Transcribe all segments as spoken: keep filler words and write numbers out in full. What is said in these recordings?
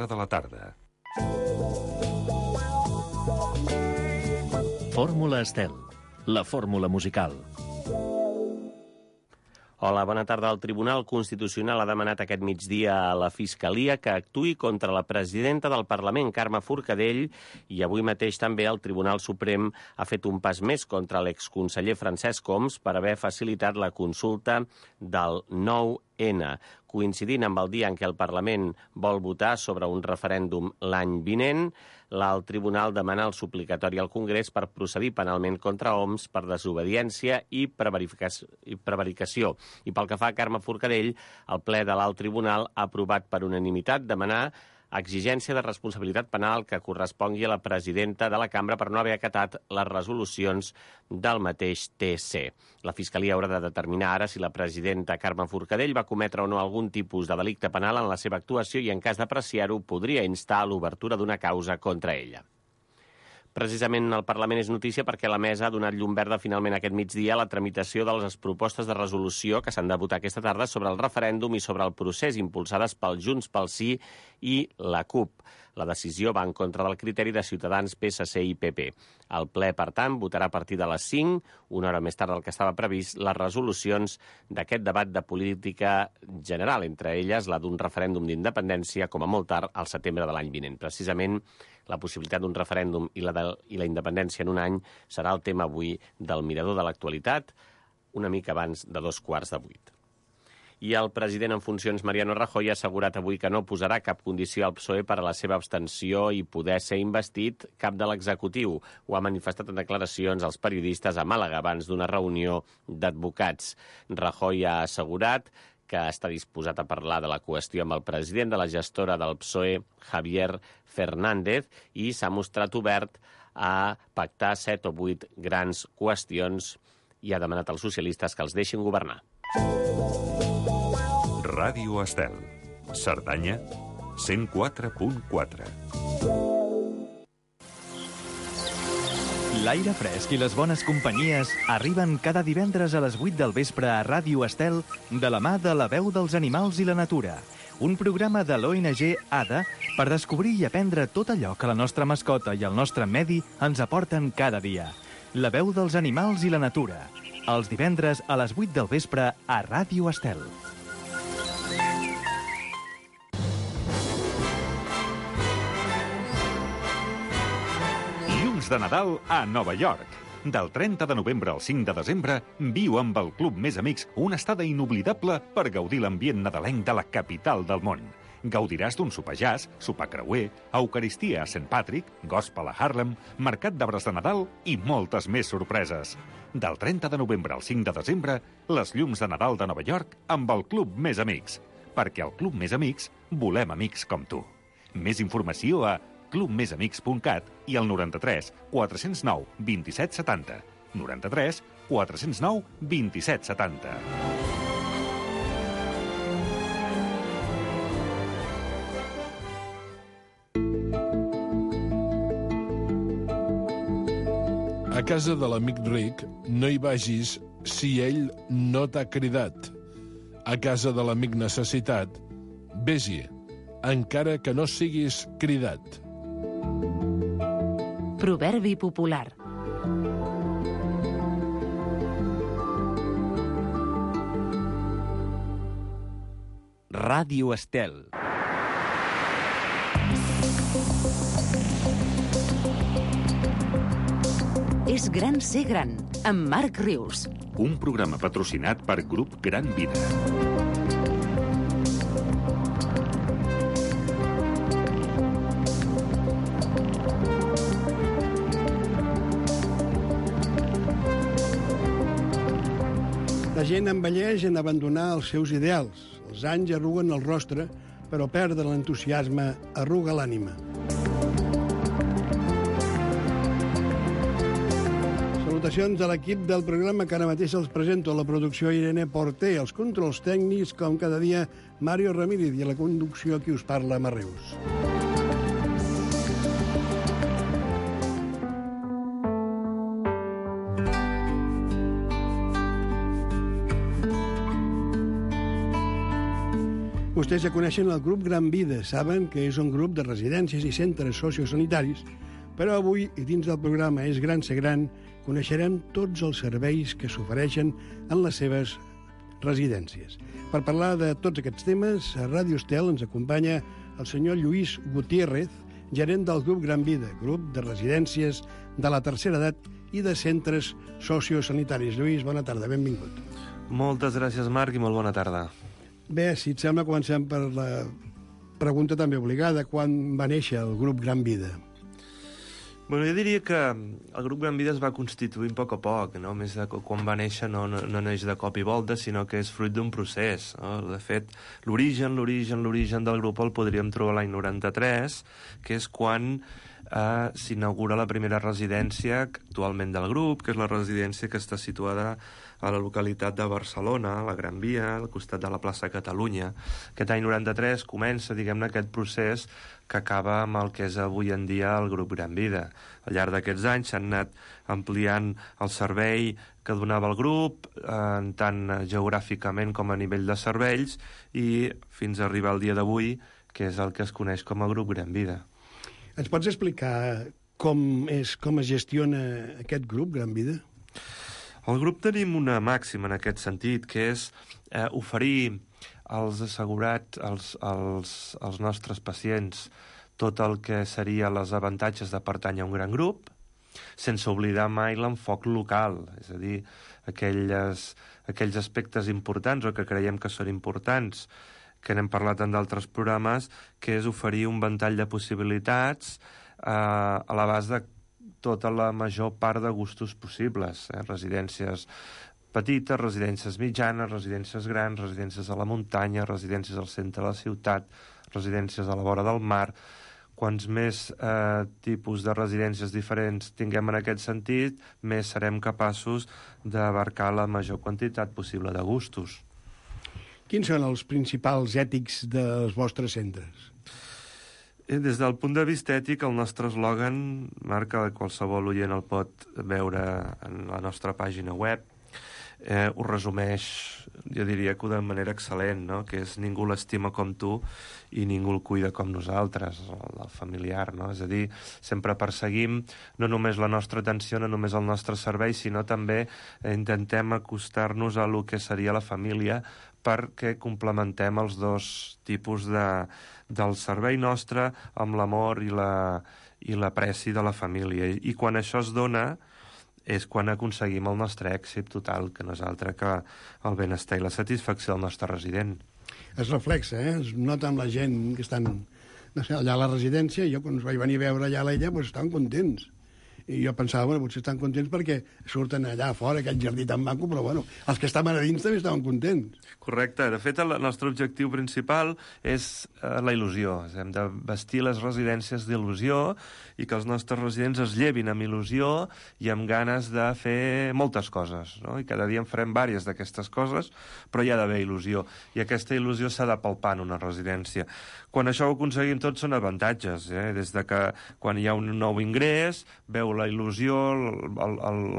de la tarda. Fórmula Estel, la fórmula musical. Hola, bona tarda. El Tribunal Constitucional ha demanat aquest migdia a la Fiscalia que actuï contra la presidenta del Parlament, Carme Forcadell, i avui mateix també el Tribunal Suprem ha fet un pas més contra l'exconseller Francesc Homs per haver facilitat la consulta del nou ena, coincidint amb el dia en què el Parlament vol votar sobre un referèndum l'any vinent. El Tribunal demana el suplicatori al Congrés per procedir penalment contra Homs per desobediència i prevaricació. I pel que fa a Carme Forcadell, el ple de l'Alt Tribunal ha aprovat per unanimitat demanar exigència de responsabilitat penal que correspongui a la presidenta de la cambra per no haver acatat les resolucions del mateix T C. La Fiscalia haurà de determinar ara si la presidenta Carme Forcadell va cometre o no algun tipus de delicte penal en la seva actuació i, en cas d'apreciar-ho, podria instar a l'obertura d'una causa contra ella. Precisament el Parlament és notícia perquè la mesa ha donat llum verda finalment aquest migdia a la tramitació de les propostes de resolució que s'han de votar aquesta tarda sobre el referèndum i sobre el procés impulsades pel Junts pel Sí i la CUP. La decisió va en contra del criteri de Ciutadans, P S C i P P. El ple, per tant, votarà a partir de les cinc, una hora més tard del que estava previst, les resolucions d'aquest debat de política general, entre elles la d'un referèndum d'independència, com a molt tard, al setembre de l'any vinent. Precisament, la possibilitat d'un referèndum i la, de, i la independència en un any serà el tema avui del Mirador de l'Actualitat, una mica abans de dos quarts de vuit. I el president en funcions, Mariano Rajoy, ha assegurat avui que no posarà cap condició al P S O E per a la seva abstenció i poder ser investit cap de l'executiu. Ho ha manifestat en declaracions als periodistes a Màlaga abans d'una reunió d'advocats. Rajoy ha assegurat que està disposat a parlar de la qüestió amb el president de la gestora del P S O E, Javier Fernández, i s'ha mostrat obert a pactar set o vuit grans qüestions i ha demanat als socialistes que els deixin governar. Ràdio Estel, Cerdanya, cent quatre punt quatre. L'aire fresc i les bones companyies arriben cada divendres a les vuit del vespre a Ràdio Estel de la mà de La Veu dels Animals i la Natura, un programa de l'O N G A D A per descobrir i aprendre tot allò que la nostra mascota i el nostre medi ens aporten cada dia. La Veu dels Animals i la Natura, els divendres a les vuit del vespre a Ràdio Estel. De Nadal a Nova York. Del trenta de novembre al cinc de desembre, viu amb el Club Més Amics una estada inoblidable per gaudir l'ambient nadalenc de la capital del món. Gaudiràs d'un sopar jazz, sopar creuer, eucaristia a Saint Patrick, gospel a Harlem, mercat d'arbres de Nadal i moltes més sorpreses. Del trenta de novembre al cinc de desembre, les llums de Nadal de Nova York amb el Club Més Amics. Perquè al Club Més Amics volem amics com tu. Més informació a club més amics punt cat i al noranta-tres quatre cents nou vint-i-set setanta. noranta-tres quatre cents nou vint-i-set setanta. A casa de l'amic ric no hi vagis si ell no t'ha cridat. A casa de l'amic necessitat, vés-hi, encara que no siguis cridat. Proverbi popular. Ràdio Estel. És gran ser gran, amb Marc Rius. Un programa patrocinat per Grup Gran Vida. La gent envelleix en abandonar els seus ideals. Els anys arruguen el rostre, però perdre l'entusiasme arruga l'ànima. Salutacions a l'equip del programa que ara mateix els presento. A la producció Irene Porter, els controls tècnics, com cada dia, Mario Ramírez, i a la conducció qui us parla, Marreus. Vostès ja coneixen el grup Gran Vida, saben que és un grup de residències i centres sociosanitaris, però avui, i dins del programa És Gran Ser Gran, coneixerem tots els serveis que s'ofereixen en les seves residències. Per parlar de tots aquests temes, a Ràdio Estel ens acompanya el senyor Lluís Gutiérrez, gerent del grup Gran Vida, grup de residències de la tercera edat i de centres sociosanitaris. Lluís, bona tarda, benvingut. Moltes gràcies, Marc, i molt bona tarda. Bé, si et sembla, comencem per la pregunta també obligada. Quan va néixer el grup Gran Vida? Bueno, jo diria que el grup Gran Vida es va constituir a poc a poc, no? Més de quan va néixer no, no, no neix de cop i volta, sinó que és fruit d'un procés. No? De fet, l'origen, l'origen, l'origen del grup el podríem trobar l'any noranta-tres, que és quan eh, s'inaugura la primera residència actualment del grup, que és la residència que està situada a la localitat de Barcelona, a la Gran Via, al costat de la plaça Catalunya. Aquest any noranta-tres comença, diguem-ne, aquest procés que acaba amb el que és avui en dia el grup Gran Vida. Al llarg d'aquests anys s'han anat ampliant el servei que donava el grup, eh, tant geogràficament com a nivell de serveis, i fins a arribar al dia d'avui, que és el que es coneix com a grup Gran Vida. Ens pots explicar com, és, com es gestiona aquest grup Gran Vida? Al grup tenim una màxima en aquest sentit, que és eh, oferir als assegurats, als, als, als nostres pacients, tot el que seria els avantatges de pertànyer a un gran grup, sense oblidar mai l'enfoc local, és a dir, aquelles, aquells aspectes importants o que creiem que són importants, que n'hem parlat en d'altres programes, que és oferir un ventall de possibilitats eh, a l'abast de tota la major part de gustos possibles, eh? Residències petites, residències mitjanes, residències grans, residències a la muntanya, residències al centre de la ciutat, residències a la vora del mar. Quants més eh, tipus de residències diferents tinguem en aquest sentit, més serem capaços d'abarcar la major quantitat possible de gustos. Quins són els principals ètics dels vostres centres? Des del punt de vista ètic, el nostre eslògan, Marc, que qualsevol oient el pot veure en la nostra pàgina web, eh, ho resumeix, jo diria que de manera excel·lent, no? Que és ningú l'estima com tu i ningú el cuida com nosaltres, el, el familiar, no? És a dir, sempre perseguim no només la nostra atenció, no només el nostre servei, sinó també eh, intentem acostar-nos a lo que seria la família perquè complementem els dos tipus de, del servei nostre amb l'amor i la, i l'apreci de la família. I quan això es dona és quan aconseguim el nostre èxit total, que no és altre que el benestar i la satisfacció del nostre resident. Es reflexa, eh? Es nota amb la gent que estan no sé, allà a la residència. Jo, quan us vaig venir a veure allà a l'ella, doncs estaven contents. I jo pensava, bueno, potser estan contents perquè surten allà fora, aquest jardí tan maco, però bueno, els que estaven a dins també estaven contents. Correcte. De fet, el nostre objectiu principal és eh, la il·lusió. Hem de vestir les residències d'il·lusió i que els nostres residents es llevin amb il·lusió i amb ganes de fer moltes coses, no? I cada dia en farem diverses d'aquestes coses, però hi ha d'haver il·lusió. I aquesta il·lusió s'ha de palpar en una residència. Quan això ho aconseguim tots són avantatges, eh? Des de que quan hi ha un nou ingrés, veu la il·lusió,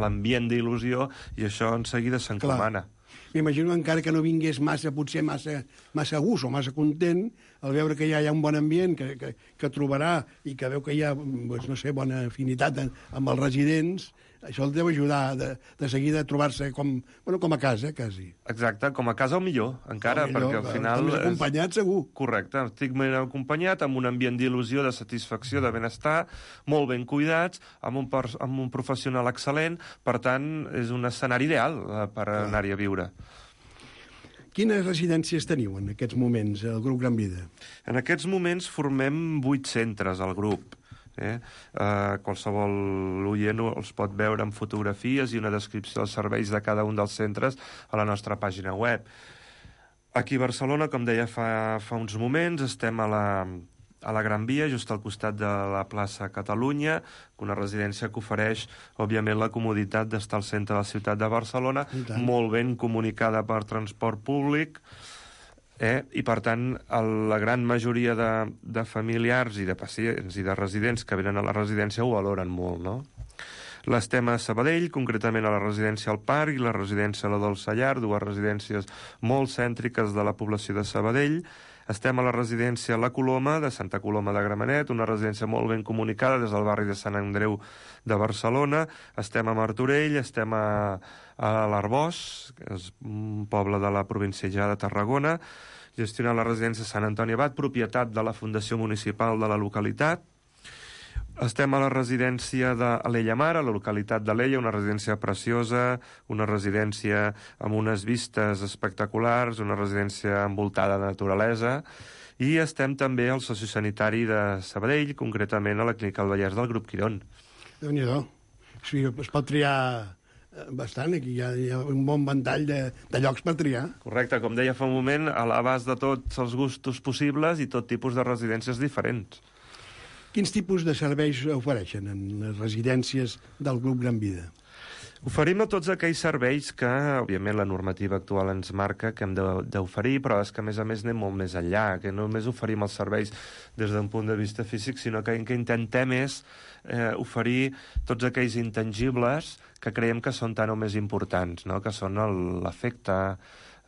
l'ambient d'il·lusió, i això en seguida s'encomana. M'imagino encara que no vingués massa, potser massa, massa gust o massa content, al veure que ja hi ha un bon ambient, que, que, que trobarà i que veu que hi ha, doncs, no sé, bona afinitat amb els residents, això el deu ajudar de, de seguida a trobar-se com, bueno, com a casa, quasi. Exacte, com a casa o millor, encara, o millor, perquè al final... Estic acompanyat, segur. Correcte, estic ben acompanyat, amb un ambient d'il·lusió, de satisfacció, de benestar, molt ben cuidats, amb un, amb un professional excel·lent, per tant, és un escenari ideal per anar-hi a viure. Quines residències teniu en aquests moments, el grup Gran Vida? En aquests moments formem vuit centres al grup. Eh? Uh, qualsevol oient els pot veure amb fotografies i una descripció dels serveis de cada un dels centres a la nostra pàgina web. Aquí a Barcelona, com deia fa, fa uns moments, estem a la, a la Gran Via, just al costat de la plaça Catalunya, una residència que ofereix, òbviament, la comoditat d'estar al centre de la ciutat de Barcelona, molt ben comunicada per transport públic, Eh? I, per tant, el, la gran majoria de, de familiars i de pacients i de residents que venen a la residència ho valoren molt, no? L'estem a Sabadell, concretament a la residència al Parc i la residència a la Dolça Llar, dues residències molt cèntriques de la població de Sabadell. Estem a la residència La Coloma, de Santa Coloma de Gramenet, una residència molt ben comunicada des del barri de Sant Andreu de Barcelona. Estem a Martorell, estem a, a l'Arboç, que és un poble de la província ja de Tarragona, gestionant la residència Sant Antoni Abat, propietat de la Fundació Municipal de la localitat. Estem a la residència d'Alella Mar, a la localitat d'Alella, una residència preciosa, una residència amb unes vistes espectaculars, una residència envoltada de naturalesa, i estem també al sociosanitari de Sabadell, concretament a la Clínica del Vallès del Grup Quirón. Déu-n'hi-do. Sí, es pot triar bastant, aquí hi ha, hi ha un bon ventall de, de llocs per triar. Correcte, com deia fa un moment, a l'abast de tots els gustos possibles i tot tipus de residències diferents. Quins tipus de serveis ofereixen en les residències del Grup Gran Vida? Oferim a tots aquells serveis que, òbviament, la normativa actual ens marca que hem d'oferir, però és que, a més a més, anem molt més enllà, que no només oferim els serveis des d'un punt de vista físic, sinó que el que intentem és eh, oferir tots aquells intangibles que creiem que són tan o més importants, no? Que són l'afecte,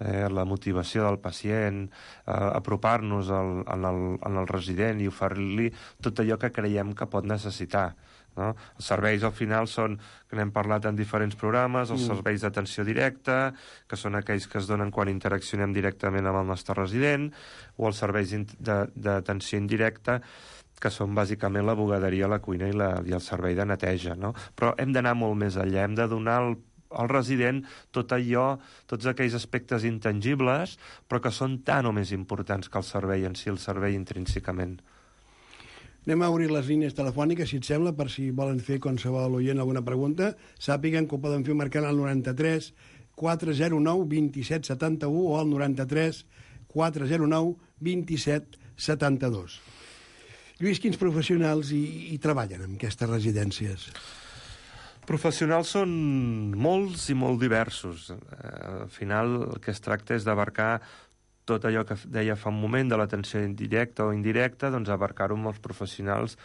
eh, la motivació del pacient, eh, apropar-nos al, al, al resident i oferir-li tot allò que creiem que pot necessitar. No? Els serveis al final són, que n'hem parlat en diferents programes, els mm. serveis d'atenció directa, que són aquells que es donen quan interaccionem directament amb el nostre resident, o els serveis d'atenció indirecta, que són bàsicament la bugaderia, la cuina i, la, i el servei de neteja. No? Però hem d'anar molt més enllà, hem de donar al al resident tot allò, tots aquells aspectes intangibles, però que són tan o més importants que el servei en si, el servei intrínsecament. Anem a obrir les línies telefòniques, si et sembla, per si volen fer qualsevol oient alguna pregunta. Sàpiguen que ho poden fer marcant al noranta-tres quatre zero nou vint-i-set setanta-u o al noranta-tres quatre zero nou vint-i-set setanta-dos. Lluís, quins professionals hi, hi treballen en aquestes residències? Professionals són molts i molt diversos. Al final el que es tracta és d'abarcar tot allò que deia fa un moment de l'atenció indirecta o indirecta, doncs abarcar-ho amb els professionals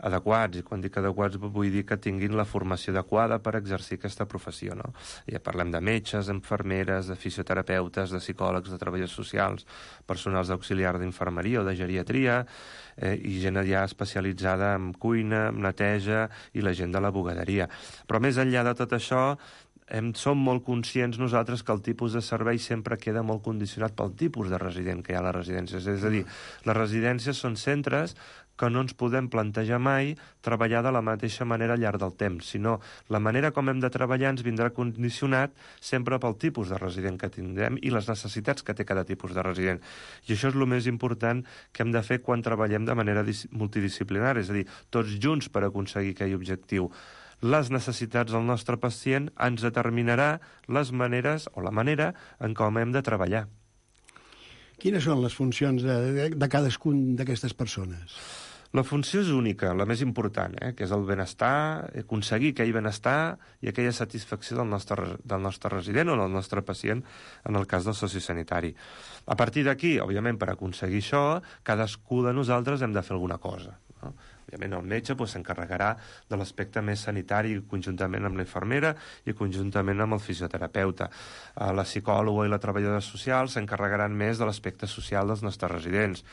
adequats, i quan dic adequats vull dir que tinguin la formació adequada per exercir aquesta professió, no? Ja parlem de metges, infermeres, de fisioterapeutes, de psicòlegs, de treballadors socials, personals d'auxiliar d'infermeria o de geriatria, eh, i gent ja especialitzada en cuina, en neteja, i la gent de la bugaderia. Però més enllà de tot això, Hem, som molt conscients nosaltres que el tipus de servei sempre queda molt condicionat pel tipus de resident que hi ha a les residències. És a dir, les residències són centres que no ens podem plantejar mai treballar de la mateixa manera al llarg del temps, sinó la manera com hem de treballar ens vindrà condicionat sempre pel tipus de resident que tindrem i les necessitats que té cada tipus de resident. I això és el més important que hem de fer quan treballem de manera multidisciplinària, és a dir, tots junts per aconseguir aquell objectiu. Les necessitats del nostre pacient ens determinarà les maneres o la manera en com hem de treballar. Quines són les funcions de, de, de cadascun d'aquestes persones? La funció és única, la més important, eh, que és el benestar, aconseguir aquell benestar i aquella satisfacció del nostre, del nostre resident o del nostre pacient en el cas del sociosanitari. A partir d'aquí, òbviament, per aconseguir això, cadascú de nosaltres hem de fer alguna cosa, no? Òbviament el metge doncs, s'encarregarà de l'aspecte més sanitari conjuntament amb la infermera i conjuntament amb el fisioterapeuta. La psicòloga i la treballadora social s'encarregaran més de l'aspecte social dels nostres residents.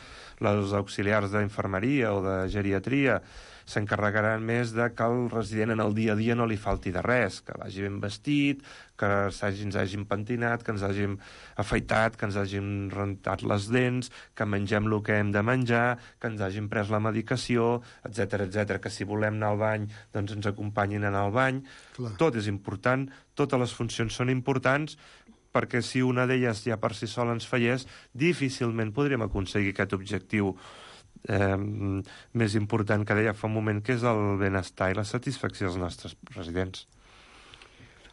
Les auxiliars d'infermeria o de geriatria s'encarregaran més de que el resident en el dia a dia no li falti de res, que vagi ben vestit, que ens hàgim pentinat, que ens hàgim afaitat, que ens hàgim rentat les dents, que mengem el que hem de menjar, que ens hàgim pres la medicació, etcètera, etcètera, que si volem anar al bany doncs ens acompanyin a anar al bany. Clar. Tot és important, totes les funcions són importants, perquè si una d'elles ja per si sola ens fallés, difícilment podríem aconseguir aquest objectiu eh, més important que deia fa un moment, que és el benestar i la satisfacció dels nostres residents.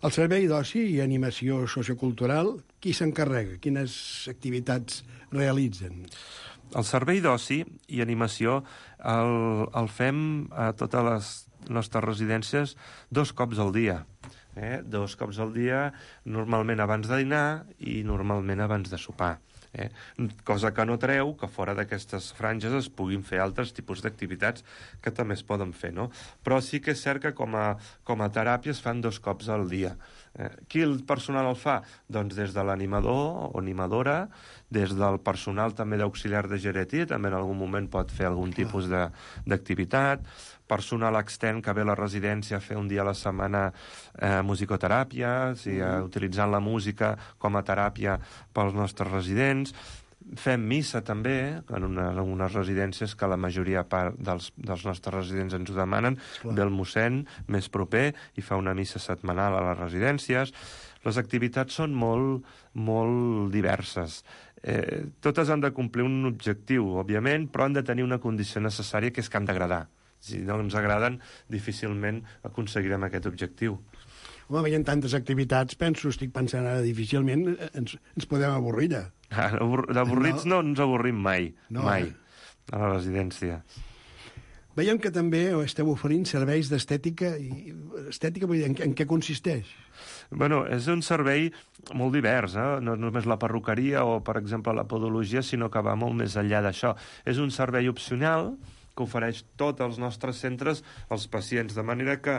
El servei d'oci i animació sociocultural, qui s'encarrega? Quines activitats realitzen? El servei d'oci i animació el, el fem a totes les nostres residències dos cops al dia. Eh? Dos cops al dia, normalment abans de dinar i normalment abans de sopar. Eh? Cosa que no treu que fora d'aquestes franges es puguin fer altres tipus d'activitats que també es poden fer, no? Però sí que és cert que com a, com a teràpia es fan dos cops al dia. Eh, qui el personal el fa? Doncs des de l'animador o animadora, des del personal també d'auxiliar de geriatria, també en algun moment pot fer algun tipus de, d'activitat, personal extern que ve a la residència a fer un dia a la setmana eh, musicoteràpia, o sigui, eh, utilitzant la música com a teràpia pels nostres residents. Fem missa també, en, una, en unes residències que la majoria part dels, dels nostres residents ens ho demanen, ve el mossèn més proper i fa una missa setmanal a les residències. Les activitats són molt, molt diverses. Eh, totes han de complir un objectiu, òbviament, però han de tenir una condició necessària, que és que han d'agradar. Si no ens agraden, difícilment aconseguirem aquest objectiu. Home, veient tantes activitats, penso, estic pensant ara, difícilment ens, ens podem avorrir, ja. Ah, d'avorrits no. no ens avorrim mai, no, mai, eh? a la residència. Veiem que també esteu oferint serveis d'estètica. I estètica, vull dir, en, en què consisteix? Bueno, és un servei molt divers, eh? No només la perruqueria o, per exemple, la podologia, sinó que va molt més enllà d'això. És un servei opcional que ofereix tots els nostres centres als pacients, de manera que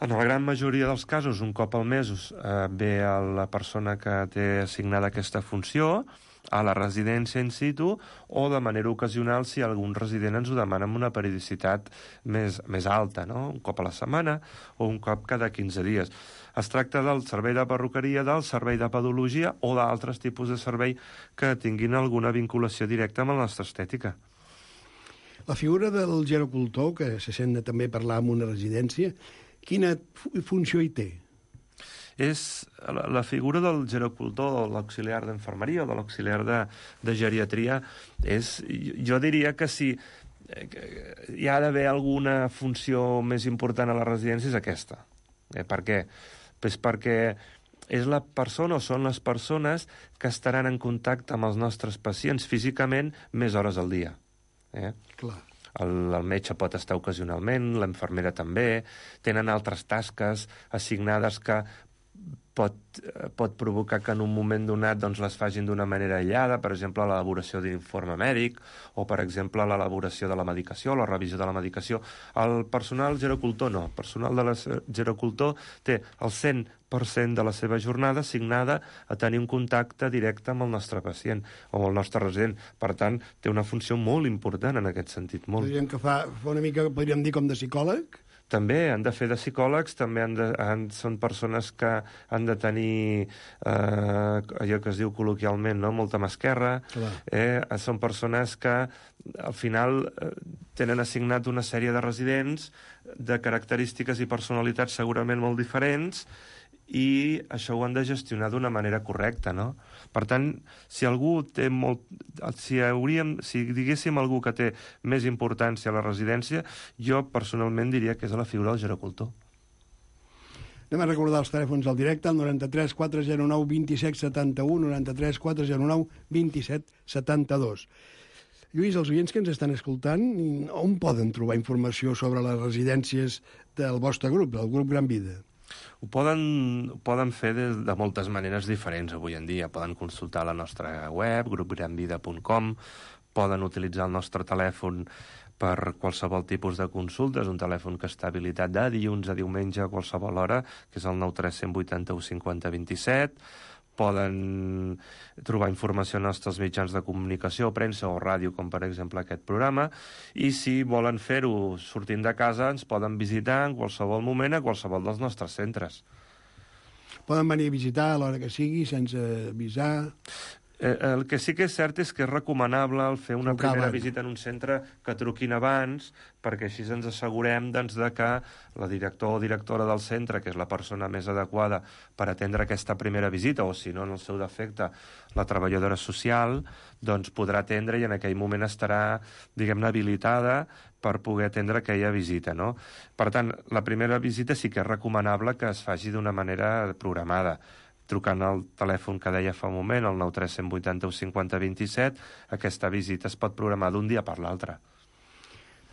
en la gran majoria dels casos, un cop al mes, eh, ve a la persona que té assignada aquesta funció a la residència in situ, o de manera ocasional si algun resident ens ho demana amb una periodicitat més, més alta, no? Un cop a la setmana o un cop cada quinze dies. Es tracta del servei de perruqueria, del servei de podologia o d'altres tipus de servei que tinguin alguna vinculació directa amb la nostra estètica. La figura del gerocultor, que se sent de també parlar en una residència, quina funció hi té? És la, la figura del gerocultor, de l'auxiliar d'enfermeria o de l'auxiliar de, de geriatria, és, jo diria que si que hi ha d'haver alguna funció més important a la residència és aquesta. Eh, per què? Pues perquè és la persona o són les persones que estaran en contacte amb els nostres pacients físicament més hores al dia. Eh? Clar. El, el metge pot estar ocasionalment, l'infermera també, tenen altres tasques assignades que pot, pot provocar que en un moment donat doncs, les facin d'una manera aïllada, per exemple, l'elaboració d'un informe mèdic, o, per exemple, l'elaboració de la medicació, la revisió de la medicació. El personal gerocultor no. El personal de la gerocultor té el cent per cent de la seva jornada assignada a tenir un contacte directe amb el nostre pacient o amb el nostre resident. Per tant, té una funció molt important en aquest sentit. Molt. Podríem que fa, fa una mica, podríem dir, com de psicòleg? També han de fer de psicòlegs, també han de, han, són persones que han de tenir eh, allò que es diu col·loquialment, no? Molta mà esquerra. Eh, són persones que al final eh, tenen assignat una sèrie de residents de característiques i personalitats segurament molt diferents, i això ho han de gestionar d'una manera correcta, no? Per tant, si algú té molt... Si, hauríem, si diguéssim algú que té més importància a la residència, jo personalment diria que és la figura del gerocultor. Anem a recordar els telèfons al directe, el noranta-tres quatre zero nou dos set set u, noranta-tres quatre zero nou dos set set dos. Lluís, els oients que ens estan escoltant, on poden trobar informació sobre les residències del vostre grup, del grup Gran Vida? Ho poden, ho poden fer de, de moltes maneres diferents avui en dia. Poden consultar la nostra web, grup gran vida punt com, poden utilitzar el nostre telèfon per qualsevol tipus de consultes, un telèfon que està habilitat de dilluns a diumenge a qualsevol hora, que és el nou tres vuit u cinc zero dos set. Poden trobar informació en els nostres mitjans de comunicació, premsa o ràdio, com per exemple aquest programa, i si volen fer-ho sortint de casa ens poden visitar en qualsevol moment a qualsevol dels nostres centres. Poden venir a visitar a l'hora que sigui, sense avisar... Eh, el que sí que és cert és que és recomanable el fer una Trucar primera abans. visita en un centre que truquin abans, perquè així ens assegurem doncs, de que la director o directora del centre, que és la persona més adequada per atendre aquesta primera visita, o si no, en el seu defecte, la treballadora social, doncs podrà atendre i en aquell moment estarà, diguem-ne, habilitada per poder atendre aquella visita, no? Per tant, la primera visita sí que és recomanable que es faci d'una manera programada, trucant al telèfon que deia fa un moment, el nou tres vuit u cinc zero dos set, aquesta visita es pot programar d'un dia per l'altre.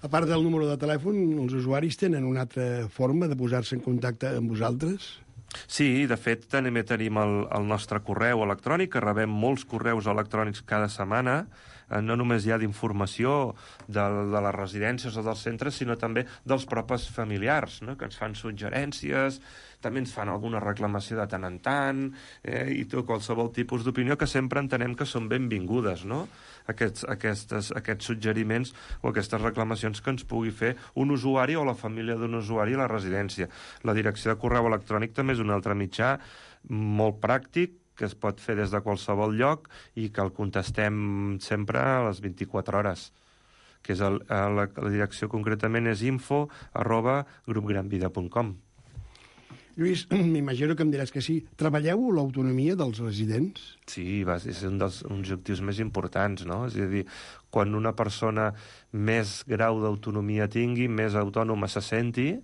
A part del número de telèfon, els usuaris tenen una altra forma de posar-se en contacte amb vosaltres? Sí, de fet, també tenim el, el nostre correu electrònic, que rebem molts correus electrònics cada setmana, no només hi ha d'informació de, de les residències o dels centres, sinó també dels propis familiars, no? Que ens fan suggerències, també ens fan alguna reclamació de tant en tant, eh? i tot, qualsevol tipus d'opinió que sempre entenem que són benvingudes, no? Aquests, aquestes, aquests suggeriments o aquestes reclamacions que ens pugui fer un usuari o la família d'un usuari a la residència. La direcció de correu electrònic també és un altre mitjà molt pràctic, que es pot fer des de qualsevol lloc i que el contestem sempre a les vint-i-quatre hores, que és el, la, la direcció concretament és info arroba grupgranvida punt com. Lluís, m'imagino que em diràs que sí. Treballeu l'autonomia dels residents? Sí, va, és un dels objectius més importants, no? És a dir, quan una persona més grau d'autonomia tingui, més autònoma se senti,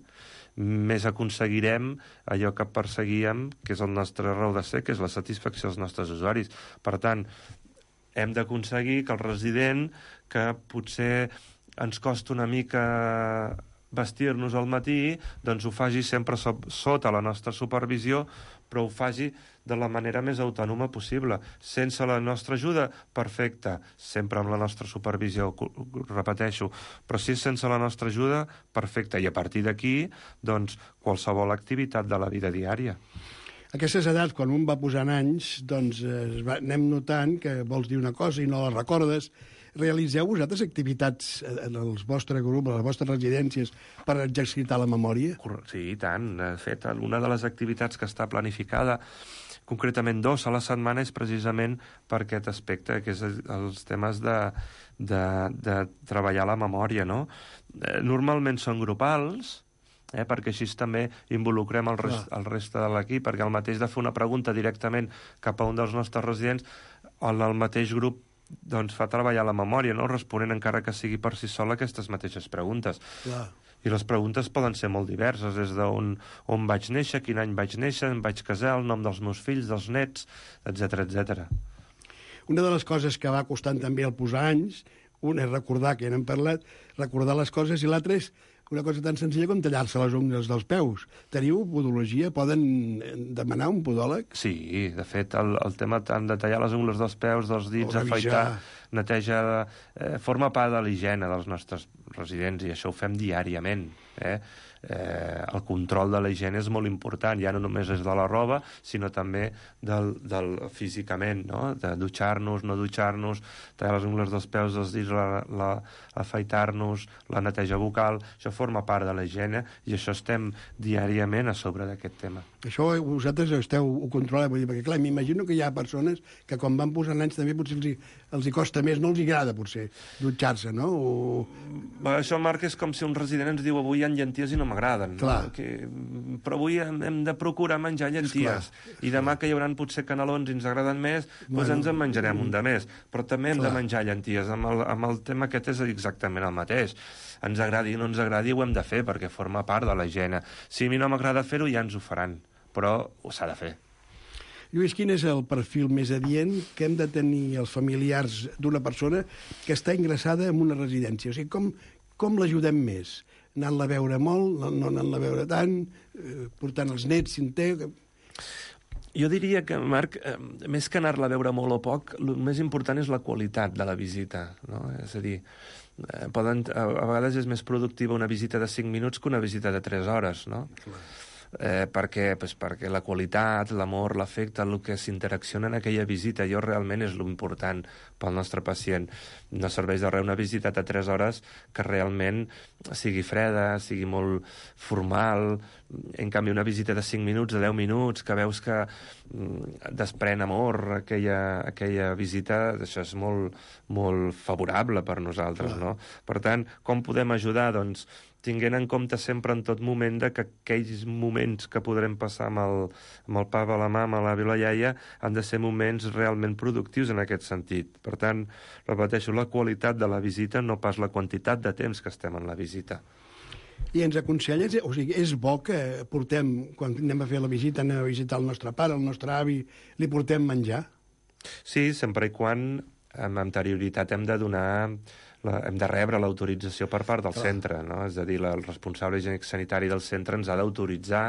més aconseguirem allò que perseguíem, que és el nostre raó de ser, que és la satisfacció dels nostres usuaris. Per tant, hem d'aconseguir que el resident, que potser ens costa una mica vestir-nos al matí, doncs ho faci sempre so sota la nostra supervisió, però ho faci de la manera més autònoma possible. Sense la nostra ajuda, perfecte, sempre amb la nostra supervisió, repeteixo, però si és sense la nostra ajuda, perfecte, i a partir d'aquí, doncs, qualsevol activitat de la vida diària. A aquestes edats, quan un va posant anys, doncs eh, va, anem notant que vols dir una cosa i no la recordes. Realitzeu vosaltres activitats en el vostre grup, a les vostres residències, per exercitar la memòria? Sí, i tant. De fet, una de les activitats que està planificada, concretament dos a la setmana, és precisament per aquest aspecte, que és els temes de, de, de treballar la memòria, no? Normalment són grupals, eh, perquè així també involucrem el, rest, el reste de l'equip, perquè el mateix de fer una pregunta directament cap a un dels nostres residents, el, el mateix grup doncs fa treballar la memòria, no? Responent encara que sigui per si sol aquestes mateixes preguntes. Clar. I les preguntes poden ser molt diverses, des d'on on vaig néixer, quin any vaig néixer, em vaig casar, el nom dels meus fills, dels nets, etcètera, etcètera. Una de les coses que va costant també el posar anys, una és recordar, que ja n'hem parlat, recordar les coses, i l'altra és una cosa tan senzilla com tallar-se les ungles dels peus. Teniu podologia? Poden demanar un podòleg? Sí, de fet, el, el tema tant de tallar les ungles dels peus, dels dits, afaitar, netejar, eh, forma part de l'higiene dels nostres residents, i això ho fem diàriament, eh? Eh, el control de la higiene és molt important, ja no només és de la roba, sinó també del, del físicament, no? De dutxar-nos, no dutxar-nos, tallar les ungles dels peus, dels dits, la, la, afaitar-nos, la neteja bucal, això forma part de la higiene, i això estem diàriament a sobre d'aquest tema. Això vosaltres esteu, ho controleu, vull dir, perquè clar, m'imagino que hi ha persones que quan van posant anys també potser els hi, els hi costa més, no els hi agrada potser dutxar-se, no? O... Això, Marc, és com si un resident ens diu avui hi ha llenties i no m'agraden, no? Que... però avui hem, hem de procurar menjar llenties, esclar, i demà que hi haurà potser canelons i ens agraden més, bueno, doncs ens en menjarem un de més, però també hem clar. de menjar llenties. Amb el, amb el tema aquest és exactament el mateix. Ens agradi o no ens agradi, ho hem de fer, perquè forma part de la higiene. Si a mi no m'agrada fer-ho, ja ens ho faran, però s'ha de fer. Lluís, quin és el perfil més adient que hem de tenir els familiars d'una persona que està ingressada en una residència? O sigui, com, com l'ajudem més? Anant-la a veure molt, no, no anant-la a veure tant, eh, portant els nets, si en té... Jo diria que, Marc, eh, més que anar-la a veure molt o poc, el més important és la qualitat de la visita, no? És a dir, eh, poden, a, a vegades és més productiva una visita de cinc minuts que una visita de tres hores, no? Clar. Eh, perquè, pues, perquè la qualitat, l'amor, l'afecte, el que s'interacciona en aquella visita, allò realment és l'important pel nostre pacient. No serveix de res una visita de tres hores que realment sigui freda, sigui molt formal. En canvi, una visita de cinc minuts, de deu minuts, que veus que mm, desprèn amor, aquella, aquella visita, això és molt, molt favorable per nosaltres, no? Per tant, com podem ajudar? Doncs tinguent en compte sempre en tot moment de que aquells moments que podrem passar amb el, amb el papa, la mama, l'avi, la iaia, han de ser moments realment productius en aquest sentit. Per tant, repeteixo, la qualitat de la visita, no pas la quantitat de temps que estem en la visita. I ens aconselles, o sigui, és bo que portem, quan anem a fer la visita, anem a visitar el nostre pare, el nostre avi, li portem menjar? Sí, sempre i quan amb anterioritat hem de donar la, hem de rebre l'autorització per part del Clar. centre, no? És a dir, la, el responsable higiènic sanitari del centre ens ha d'autoritzar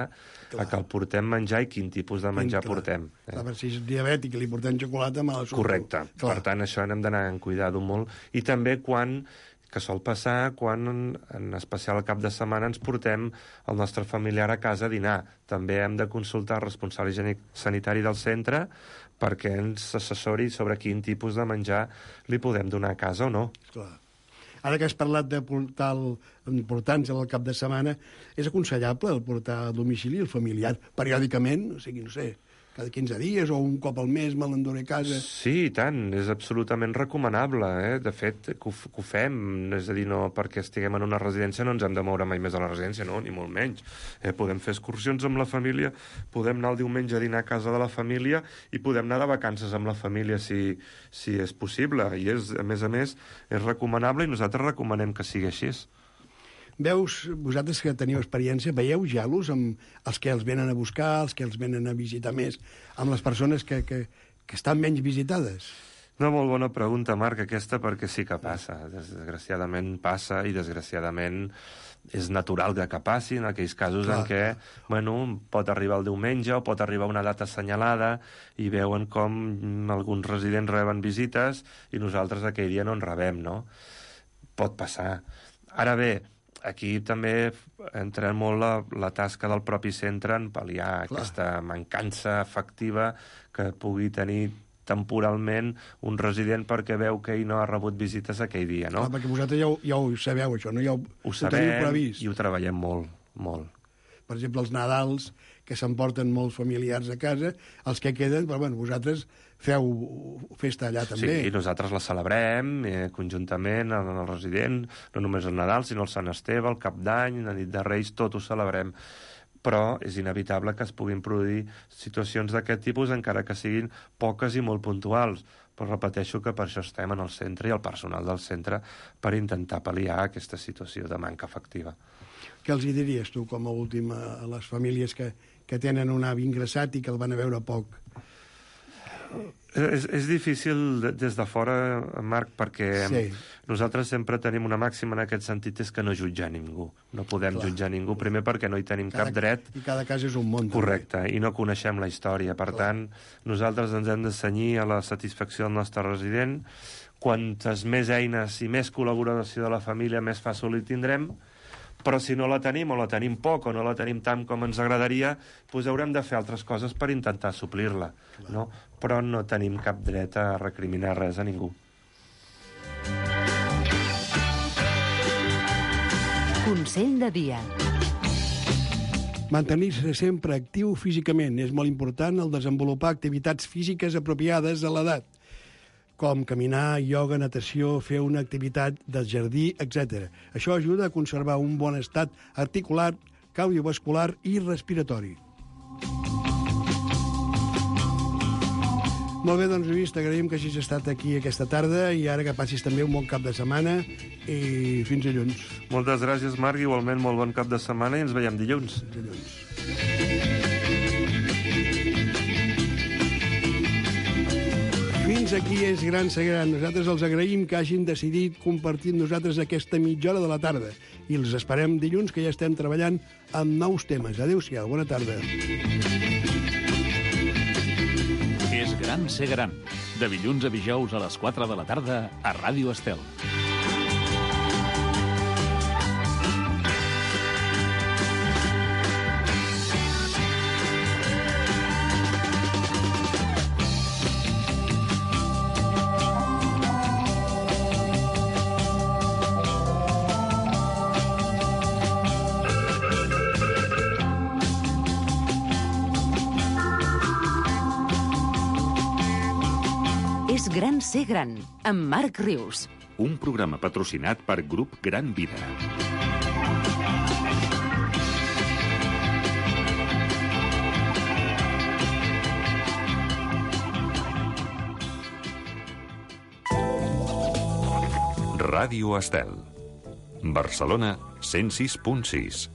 a que el portem menjar i quin tipus de menjar Clar. portem. Eh? Clar, si és diabètic i li portem xocolata, me la surto. Correcte. Clar. Per tant, això n'hem d'anar en cuidar-ho molt. I també quan que sol passar quan, en especial al cap de setmana, ens portem el nostre familiar a casa a dinar. També hem de consultar el responsable higiènic sanitari del centre perquè ens assessori sobre quin tipus de menjar li podem donar a casa o no. Clar. Ara que has parlat de portar el, portar-nos al cap de setmana, és aconsellable el portar a domicili el familiar periòdicament? O sigui, no sé, cada quinze dies o un cop al mes me l'enduré a casa? Sí, i tant, és absolutament recomanable, eh? De fet, que ho, que ho fem, és a dir, no perquè estiguem en una residència no ens hem de moure mai més a la residència, no, ni molt menys. Eh, podem fer excursions amb la família, podem anar el diumenge a dinar a casa de la família i podem anar de vacances amb la família si, si és possible. I, és, a més a més, és recomanable i nosaltres recomanem que sigui així. Veus, vosaltres que teniu experiència, veieu gelos amb els que els venen a buscar, els que els venen a visitar més, amb les persones que, que, que estan menys visitades? Una molt bona pregunta, Marc, aquesta, perquè sí que passa. Desgraciadament passa i desgraciadament és natural que passi en aquells casos Clar. en què bueno, pot arribar el diumenge o pot arribar una data assenyalada i veuen com alguns residents reben visites i nosaltres aquell dia no en rebem, no? Pot passar. Ara bé, aquí també entra molt la, la tasca del propi centre en pal·liar Clar. aquesta mancança efectiva que pugui tenir temporalment un resident perquè veu que ell no ha rebut visites aquell dia, no? Clar, perquè vosaltres ja ho, ja ho sabeu, això, no? Ja ho, ho sabem i ho treballem molt, molt. Per exemple, els Nadals, que s'emporten molts familiars a casa, els que queden, però bueno, vosaltres feu festa allà també. Sí, i nosaltres la celebrem eh, conjuntament en el resident, no només el Nadal, sinó el Sant Esteve, el Cap d'Any, la nit de Reis, tot ho celebrem. Però és inevitable que es puguin produir situacions d'aquest tipus, encara que siguin poques i molt puntuals. Però repeteixo que per això estem en el centre i el personal del centre per intentar pal·liar aquesta situació de manca efectiva. Què els hi diries tu, com a últim, a les famílies que, que tenen un avi ingressat i que el van a veure poc? És, és difícil des de fora, Marc, perquè sí. nosaltres sempre tenim una màxima en aquest sentit, és que no jutjar ningú. No podem Clar. jutjar ningú, primer perquè no hi tenim cada, cap dret. I cada cas és un món. Correcte, també. I no coneixem la història. Per Clar. tant, nosaltres ens hem de cenyir a la satisfacció del nostre resident. Quantes més eines i més col·laboració de la família, més fàcil hi tindrem. Però si no la tenim, o la tenim poc, o no la tenim tant com ens agradaria, doncs haurem de fer altres coses per intentar suplir-la, no? Però no tenim cap dret a recriminar res a ningú. Consell de dia. Mantenir-se sempre actiu físicament. És molt important el desenvolupar activitats físiques apropiades a l'edat, com caminar, ioga, natació, fer una activitat del jardí, etcètera. Això ajuda a conservar un bon estat articular, cardiovascular i respiratori. Molt bé, doncs, Lluís, t'agraïm que hagis estat aquí aquesta tarda i ara que passis també un bon cap de setmana i fins dilluns. Moltes gràcies, Marc, igualment molt bon cap de setmana i ens veiem dilluns. Dilluns. Fins aquí és Gran ser Gran. Nosaltres els agraïm que hagin decidit compartir amb nosaltres aquesta mitja hora de la tarda. I els esperem dilluns, que ja estem treballant amb nous temes. Adéu-siau, bona tarda. És Gran ser Gran. De dilluns a dijous a les quatre de la tarda a Ràdio Estel. És Gran ser Gran, amb Marc Rius. Un programa patrocinat per Grup Gran Vida. Ràdio Estel. Barcelona, cent sis punt sis.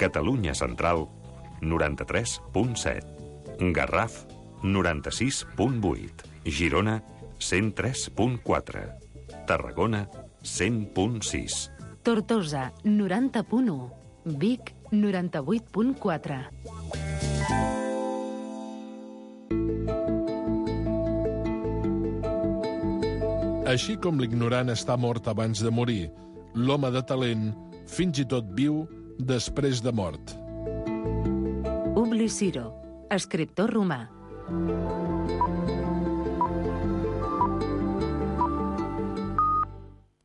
Catalunya Central, noranta-tres punt set. Garraf, noranta-sis punt vuit. Girona, cent tres punt quatre. Tarragona, cent punt sis. Tortosa, noranta punt u. Vic, noranta-vuit punt quatre. Així com l'ignorant està mort abans de morir, l'home de talent fins i tot viu després de mort. Publi Ciro, escriptor romà.